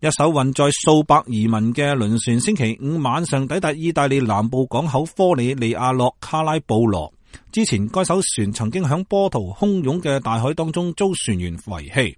一艘運載數百移民嘅輪船星期五晚上抵達意大利南部港口科里利亞諾卡拉布羅。之前該艘船曾經響波濤洶湧嘅大海當中遭船員遺棄。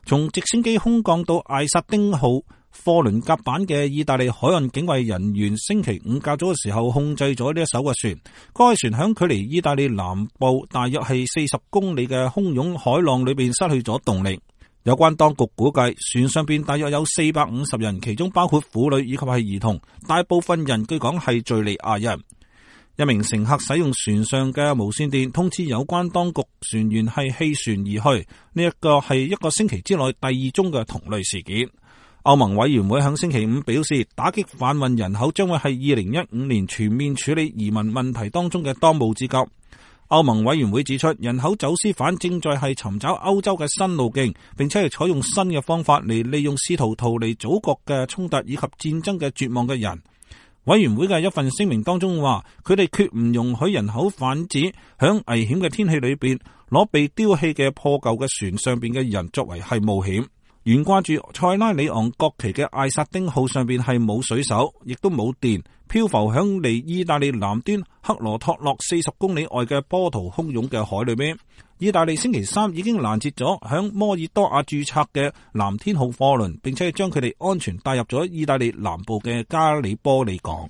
從直升機空降到艾薩丁號貨輪甲板嘅意大利海岸警衛人員星期五較早嘅時候控制咗呢一艘嘅船。該船響距離意大利南部大約係40公里嘅洶湧海浪裏邊失去咗動力。有關當局估計，船上邊大約有450人，其中包括婦女以及係兒童，大部分人據講係敘利亞人。一名乘客使用船上嘅無線電通知有關當局，船員係棄船而去。呢一個係一個星期之內第2宗嘅同類事件。歐盟委員會喺星期五表示，打擊販運人口將會係2015年全面處理移民問題當中嘅當務之急。歐盟委員會指出，人口走私犯正在係尋找歐洲嘅新路徑，並且係採用新嘅方法嚟利用試圖逃離祖國嘅衝突以及戰爭嘅絕望嘅人。委員會嘅一份聲明當中話，佢哋決唔容許人口販子響危險嘅天氣裏邊攞被丟棄嘅破舊嘅船上邊嘅人作為係冒險。懸掛住塞拉利昂國旗嘅艾薩丁號上邊係冇水手，亦都冇電，漂浮響離意大利南端克羅托洛40公里外嘅波濤洶湧嘅海裏邊。意大利星期三已經攔截咗響摩爾多瓦註冊嘅藍天號貨輪，並且將佢哋安全帶入咗意大利南部嘅加里波利港。